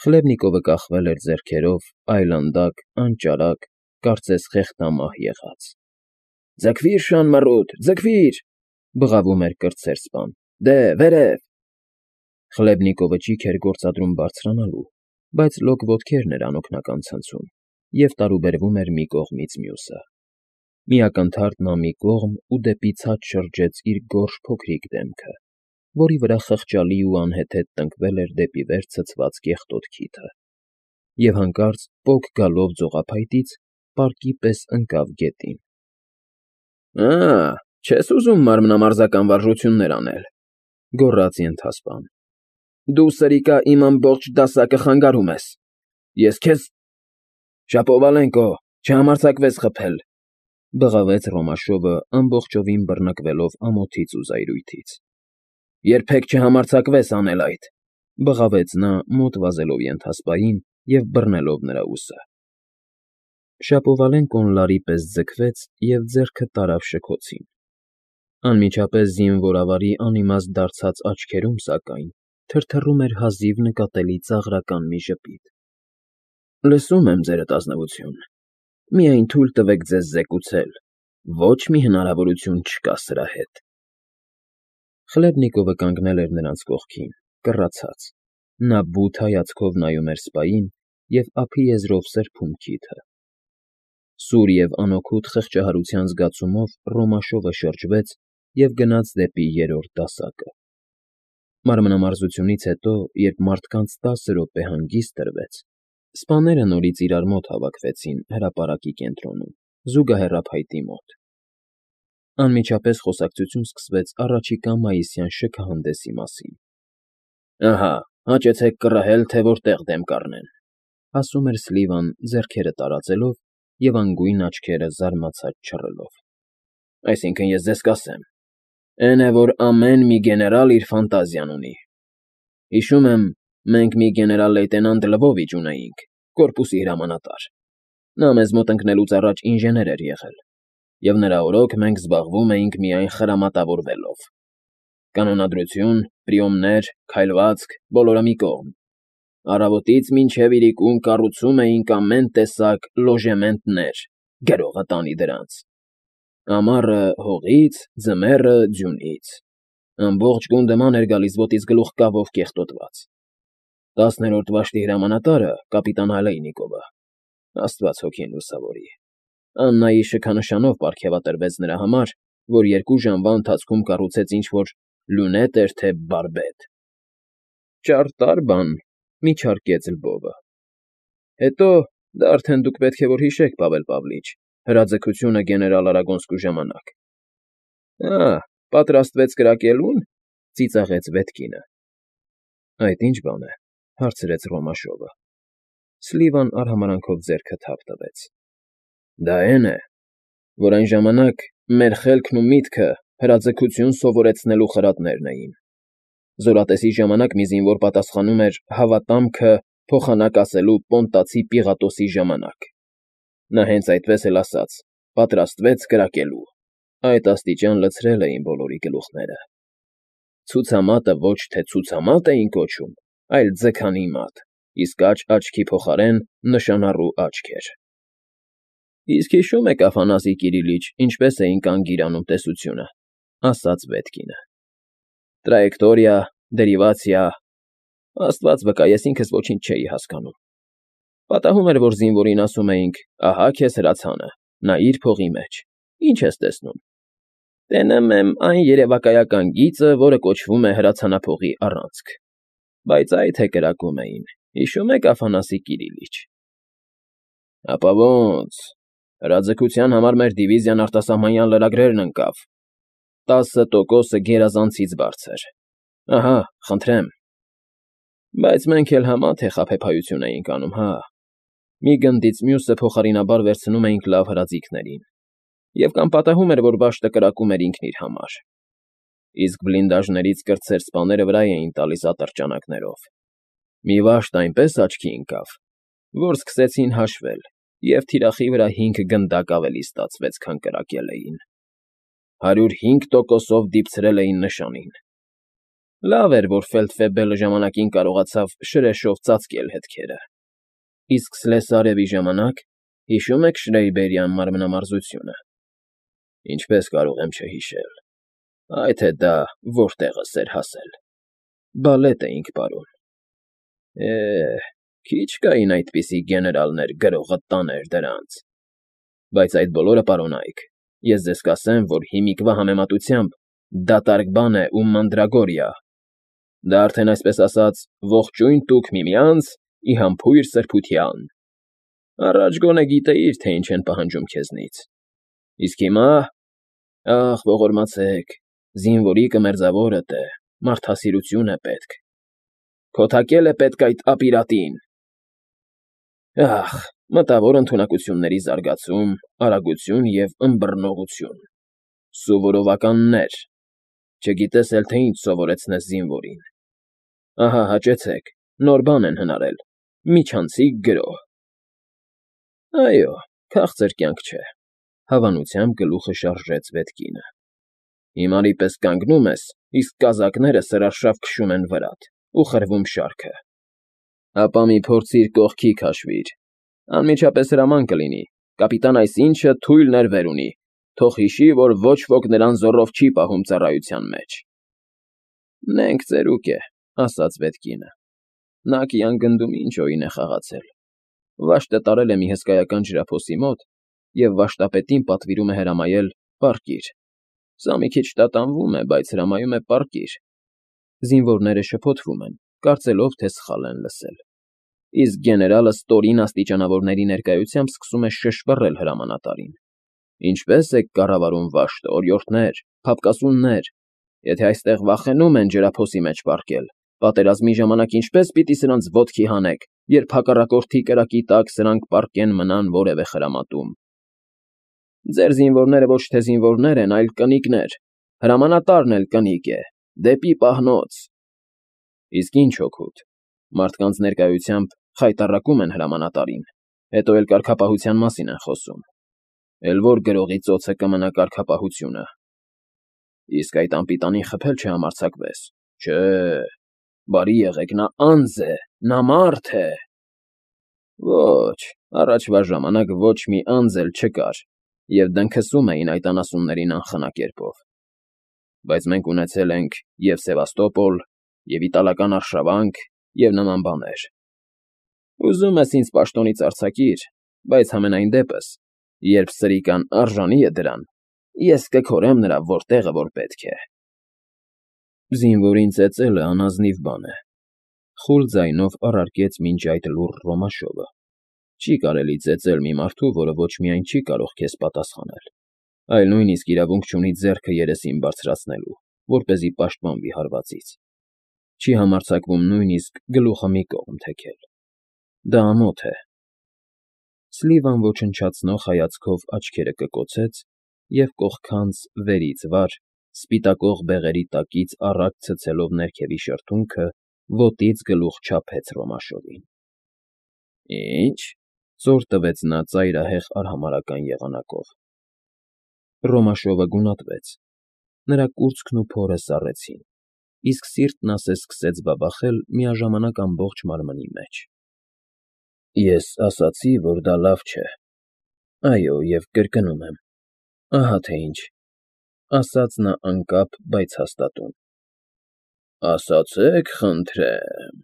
Խլեբնիկովը կախվել էր ձեռքերով, այլանդակ, անճարակ, կարծես խեղդամահ եղած։ ֊ Ձգվի՛ր, շան մռութ, ձգվի՛ր,֊ բղավում էր կրտսեր սպան։֊ Դե, վերև… Խլեբնիկովը ճիգ էր գործադրում բարձրանալու, բայց լոկ ոտքերն էր անօգնական ցնցում և տարուբերվում էր մի կողմից մյուսը։ Մի ակնթարթ նա մի կողմ ու դեպի ցած շրջեց իր գորշ փոքրիկ դեմքը, որի վրա խղճալի ու անհեթեթ տնկվել էր դեպի վեր ցցված կեղտոտ քիթը, և հանկարծ պոկ գալով ձողափայտից պարկի պես ընկավ գետին։ ֊ Չես ուզում մարմնամարզական վարժություններ անել,֊ գոռաց ենթասպան։֊ Դու, սրիկա, իմ ամբողջ դասակը խանգարում ես… Ես քեզ… Շապովալենկո, չհամարձակվես խփել,֊ բղավեց Ռոմաշովը, ամբողջովին բռնկվելով ամոթից ու զայրույթից։ ֊ Երբեք չհամարձակվես անել այդ,֊ բղավեց նա, մոտ վազելով ենթասպային և բռնելով նրա ուսը։ Շապովալենկոն լարի պես ձգվեց և ձեռքը տարավ շքոցին։ Անմիջապես զինվորավարի անիմաստ դարձած աչքերում, սակայն, թրթռում էր հազիվ նկատելի ծաղրական մի ժպիտ։ ֊ Լսում եմ, ձերդ ազնվություն, միայն թույլ տվեք ձեզ զեկուցել, ոչ մի հնարավորություն չկա սրա հետ… Խլեբնիկովը կանգնել էր նրանց կողքին, կռացած։ Նա բութ հայացքով նայում էր սպային և ափի եզրով սրբում քիթը։ Սուր և անօգուտ խղճահարության զգացումով Ռոմաշովը շրջվեց և գնաց դեպի երրորդ դասակը։ Մանրամարզությունից հետո, երբ մարդկանց 10 րոպե հանգիստ տրվեց, սպաները նորից իրար մոտ հավաքվեցին հրապարակի կենտրոնում, զուգահեռափայտի մոտ։ Անմիջապես խոսակցություն սկսվեց առաջիկա մայիսյան շքահանդեսի մասին։ ֊ Ահա, հաճեցեք կռահել, թե որտեղ դեմ կառնեն,֊ ասում էր Սլիվան, ձեռքերը տարածելով և անգույն աչքերը զարմացած չռելով։ ֊ Այսինքն՝ ես ձեզ կասեմ. էն է, որ ամեն մի գեներալ իր ֆանտազիան ունի… Հիշում եմ, մենք մի գեներալ֊լեյտենանտ Լվովիչ ունեինք, կորպուսի հրամանատար. նա մեզ մոտ ընկնելուց առաջ ինժեներ էր եղել, և նրա օրոք մենք զբաղվում էինք միայն խրամատավորվելով. կանոնադրություն, պրիոմներ, քայլվածք, բոլորը մի կողմ… Առավոտից մինչև իրիկուն կառուցում էինք ամեն տեսակ լոժեմենտներ, գրողը տանի դրանց. ամառը հողից, ձմեռը ձյունից… Ամբողջ գունդը էր գալիս ոտից գլուխ կավով կեղտոտված։ 10-րդ վաշտի հրամանատարը կապիտան Ալեյնիկովը, աստված հոգին լուսավորի, Աննայի շքանշանով պարգևատրվեց նրա համար, որ 2 ժամվա ընթացքում կառուցեց ինչ֊որ լյունետ էր, թե բարբեդ։ ֊ Ճարտար բան,֊ միջարկեց Լվովը։ ֊ Հետո, դա արդեն դուք պետք է որ հիշեք, Պավել Պավլիչ, հրաձգությունը գեներալ Արագոնսկու ժամանակ։ ֊ Պատրաստվեց կրակելո՞ւն,֊ ծիծաղեց Վետկինը։ ֊ Այդ ի՞նչ բան է,֊ հարցրեց Ռոմաշովը։ Սլիվան արհամարհանքով ձեռքը թափ տվեց։ ֊ Դա էն է, որ այն ժամանակ մեր խելքն ու միտքը հրաձգություն սովորեցնելու խրատներն էին։ Զորատեսի ժամանակ մի զինվոր պատասխանում էր հավատամքը փոխանակ ասելու պոնտացի Պիղատոսի ժամանակ. նա հենց այդպես էլ ասաց. պատրաստվեց կրակելու… Այդ աստիճան լցրել էին բոլորի գլուխները… Ցուցամատը ոչ թե ցուցամատ էին կոչում, այլ ձգանի մատ, իսկ աջ աչքի փոխարեն նշանառու աչք էր։ ֊ Իսկ հիշո՞ւմ եք, Աֆանասի Կիրիլիչ, ինչպես էին կանգիր անում տեսությունը,֊ ասաց Վետկինը։ ֊ Տրայեկտորիա, դերիվացիա… Աստված վկա, ես ինքս ոչինչ չէի հասկանում… Պատահում էր, որ զինվորին ասում էինք. ահա քեզ հրացանը, նայիր փողի մեջ, ի՞նչ ես տեսնում։ Տենեմ եմ այն երևակայական գիծը, որը կոչվում է հրացանափողի առանցք… Բայց այդ է կրակում էին, հիշո՞ւմ եք, Աֆանասի Կիրիլիչ։ ֊ Հապա ո՜նց… Հրաձգության համար մեր դիվիզիան արտասահմանյան լրագրերն ընկավ… 10% գերազանցից բարձր… Ահա, խնդրեմ… Բայց մենք էլ համա թե խաբեբայություն էինք անում, հա… Մի գնդից մյուսը փոխարինաբար վերցնում էինք լավ հրաձիգներին, և կամ պատահում էր, որ վաշտը կրակում էր ինքն իր համար… Իսկ բլինդաժներից կրտսեր սպաները վրա էին տալիս ատրճանակներով… Մի վաշտ այնպես աչքի ընկավ, որ սկսեցին հաշվել, և թիրախի վրա 5 գնդակ ավելի ստացվեց, քան կրակել էին… 105%-ով դիպցրել էին նշանին… Լավ էր, որ Ֆելդֆեբելը ժամանակին կարողացավ շրեշով ծածկել հետքերը։ Իսկ Սլեսարևի ժամանակ, հիշո՞ւմ եք Շրեյբերյան մարմնամարզությունը։ Ինչպես կարող եմ չհիշել։ Այ թե դա որտեղս էր հասել։ Բալետ էինք պարում։ Քիչ կային այդպիսի գեներալներ, գրողը տաներ դրանց։ Բայց այդ բոլորը, պարոնայք, ես ձեզ կասեմ, որ հիմիկվա համեմատությամբ դատարկ բան է ու մանդրագորիա։ Դա արդեն այսպես ասած ողջույն տուք միմյանց ի համբույր սրբության։ Առաջ գոնե գիտեիր, թե ինչ են պահանջում քեզնից։ Իսկ հիմա, ողորմացեք, զինվորի կմերձավորդ է, մարդասիրություն է պետք։ Քոթակել է պետք այդ ապիրատին։ Մտավոր ընդունակությունների զարգացում, արագություն և ըմբռնողություն։ Սովորովականներ։ Չգիտես էլ թե ինչ սովորեցնես զինվորին։ Ահա հաճեցեք, նոր բան են հնարել, միջանցիկ գրոհ։ Այո, քաղցր կյանք չէ, հավանությամբ գլուխը շարժեց Վետկինը։ Հիմարի պես կանգնում ես, իսկ կազակները սրարշավ քշում են վրատ ու խրվում շարքը։ Ապա մի փորձիր կողքի քաշվիր, անմիջապես հրաման կլինի, կապիտան այսինչը թույլ ներվեր ունի, թող հիշի, որ ոչ ոք նրան զոռով չի պահում ծառայության մեջ։ Նենք ծերուկ է, ասաց Վետկինը։ Նա կյան գնդում ինչ օին է խաղացել։ Վաշտը տարել է մի հսկայական ջրափոսի մոտ և վաշտապետին պատվիրում է հրամայել պառկիր։ Սա մի քիչ տատանվում է, բայց հրամայում է պառկիր։ Զինվորները շփոթվում են, կարծելով, թե սխալ են լսել։ Իսկ գեներալը ստորին աստիճանավորների ներկայությամբ սկսում է շշպռել հրամանատարին։ Ինչպե՞ս եք կառավարում վաշտը, օրիորդներ, փափկասուններ։ Եթե այստեղ վախենում են ջրափոսի մեջ պառկել, պատերազմի ժամանակ ինչպե՞ս պիտի սրանց ոտքի հանեք, երբ հակառակորդի կրակի տակ սրանք պառկեն մնան որևէ խրամատում։ Ձեր զինվորները ոչ թե զինվորներ են, այլ կնիկներ, հրամանատարն էլ կնիկ է, դեպի պահնոց։ Իսկ ինչ օգուտ, մարդկանց ներկայությամբ խայտառակում են հրամանատարին, հետո էլ կարգապահության մասին են խոսում։ Էլ որ գրողի ծոցը կմնա կարգապահությունը։ Իսկ այդ անպիտանին խփել չհամարձակվես։ Չէ, բարի եղեք, նա անձ է, նա մարդ է։ Ոչ, առաջվա ժամանակ ոչ մի անձ էլ չկար, և դնքսում էին այդ անասուններին անխնա կերպով։ Բայց մենք ունեցել ենք և Սևաստոպոլ, և իտալական արշավանք, և նման բաներ։ Ուզում ես ինձ պաշտոնից արձակիր, բայց համենայն դեպս, երբ սրիկան արժանի է դրան, ես կքորեմ նրա որտեղը, որ պետք է։ Զինվորին ծեծելը անազնիվ բան է, խուլ ձայնով առարկեց մինչ այդ լուռ Ռոմաշովը։ Չի կարելի ծեծել մի մարդու, որը ոչ միայն չի կարող քեզ պատասխանել, այլ նույնիսկ իրավունք չունի ձեռքը երեսին բարձրացնելու, որպեսզի պաշտպանվի հարվածից։ Չի համարձակվում նույնիսկ գլուխը մի կողմ թեքել։ Դա ամոթ է։ Սլիվան ոչնչացնող հայացքով աչքերը կկոցեց և կողքանց վերից վար, սպիտակող բեղերի տակից առաջ ցցելով ներքևի շրթունքը, ոտից գլուխ չափեց Ռոմաշովին։ Ի՞նչ,֊ ծոր տվեց նա ծայրահեղ արհամարհական եղանակով։ Ռոմաշովը գունատվեց։ Նրա կուրծքն ու փորը սառեցին, իսկ սիրտն ասես սկսեց բաբախել միաժամանակ ամբողջ մարմնի մեջ։ Ես ասացի, որ դա լավ չէ։ Այո, և կրկնում եմ, ահա թե ինչ,֊ ասաց նա անկապ, բայց հաստատուն։ Ասացեք, խնդրեմ,֊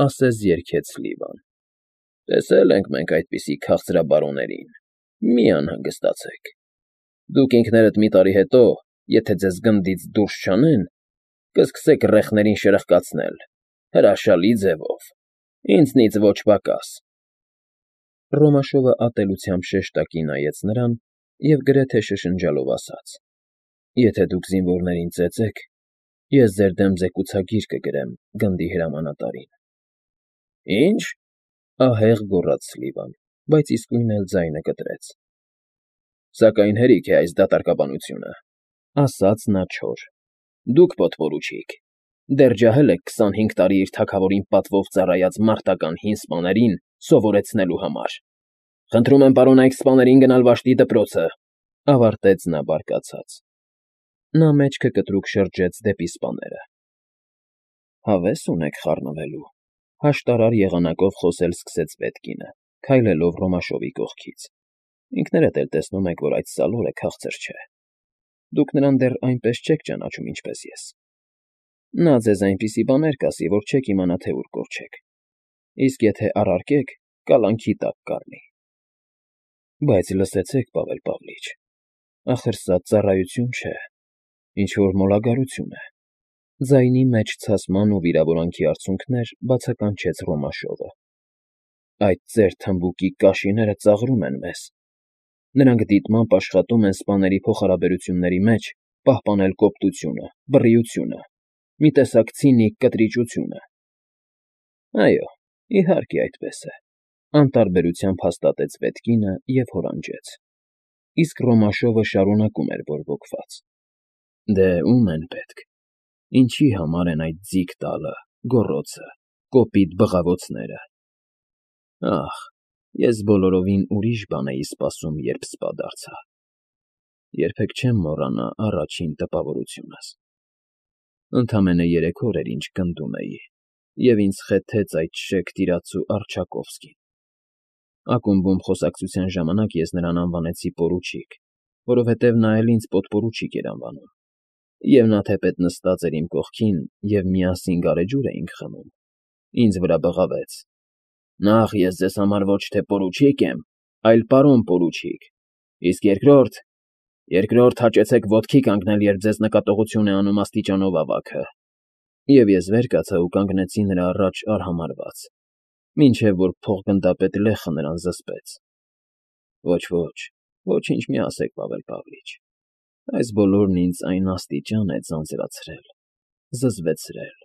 ասես երգեց Սլիվան։ Տեսել ենք մենք այդպիսի քաղցրաբարոներին, մի անհանգստացեք։ Դուք ինքներդ մի տարի հետո, եթե ձեզ գնդից դուրս չանեն, կսկսեք ռեխներին շրխկացնել, հրաշալի ձևով, ինձնից ոչ պակաս։ Ռոմաշովը ատելությամբ շեշտակի նայեց նրան և գրեթե շշնջալով ասաց. Եթե դուք զինվորներին ծեծեք, ես ձեր դեմ զեկուցագիր կգրեմ գնդի հրամանատարին։ Ինչ,֊ ահեղ գոռաց Սլիվան, բայց իսկույն էլ ձայնը կտրեց։ Սակայն հերիք է այս դատարկաբանությունը,֊ ասաց նա չոր։ Դուք պոտպորուչիկ, դեռ ջահել եք 25 տարի իր թագավորին պատվով ծառայած մարտական հին սպաներին սովորեցնելու համար։ Խնդրում եմ պարոնայք սպաներին գնալ վաշտի դպրոցը,֊ ավարտեց նա բարկացած։ Նա մեջքը կտրուկ շրջեց դեպի սպաները։ Հավես ունեք խառնվելու,֊ հաշտարար եղանակով խոսել սկսեց Պետկինը, քայլելով Ռոմաշովի կողքից։ Ինքներդ էլ տեսնում եք, որ այդ սալորը քաղցր չէ։ Դուք նրան դեռ այնպես չեք ճանաչում, ինչպես ես։ Նա ձեզ այնպիսի բաներ կասի, որ չեք իմանա, թե ուր կորչեք, իսկ եթե առարկեք, կալանքի տակ կառնի։ Բայց լսեցեք, Պավել Պավլիչ, ախր սա ծառայություն չէ, ինչ-որ մոլագարություն է։ Ձայնի մեջ ցասման ու վիրավորանքի արցունքներ բացականչեց Ռոմաշովը։ Այդ ձեր թմբուկի կաշիները ծաղրում են մեզ։ Նրանք դիտմամբ աշխատում են սպաների փոխհարաբերությունների մեջ պահպանել կոպտությունը, բռիությունը, մի տեսակ ցինիկ կտրիճությունը։ Այո, իհարկե այդպես է, անտարբերությամբ հաստատեց Պետկինը և հորանջեց։ Իսկ Ռոմաշովը շարունակում էր բորբոքված. Դե ում են պետք։ Ինչի համար են այդ ձիգ տալը, գոռոցը, կոպիտ բղավոցները։ Ախ, ես բոլորովին ուրիշ բան էի սպասում, երբ սպա դարձա։ Երբեք չեմ մոռանա առաջին տպավորությունս։ Ընդամենը 3 օր էր, ինչ գնդում էի, և ինձ խեթեց այդ շեք տիրացու Առջակովսկին։ Ակումբում խոսակցության ժամանակ ես նրան անվանեցի պորուչիկ, որովհետև նա էլ ինձ պոդպորուչիկ էր անվանում, և նա թեպետ նստած էր իմ կողքին, և միասին գարեջուր էինք խմում, ինձ վրա բղավեց. «Նախ ես ձեզ համար ոչ թե պորուչիկ եմ, այլ պարոն պորուչիկ, իսկ երկրորդ հաճեցեք ոտքի կանգնել, երբ ձեզ նկատողություն է անում աստիճանով ավագը»։ Եվ ես վեր կացա ու կանգնեցի նրա առաջ արհամարհված, մինչև որ փոխգնդապետ Լեխը նրան զսպեց։ Ոչ, ոչինչ մի ասեք, Պավել Պավլիչ, այս բոլորն ինձ այն աստիճան է ձանձրացրել, զզվեցրել,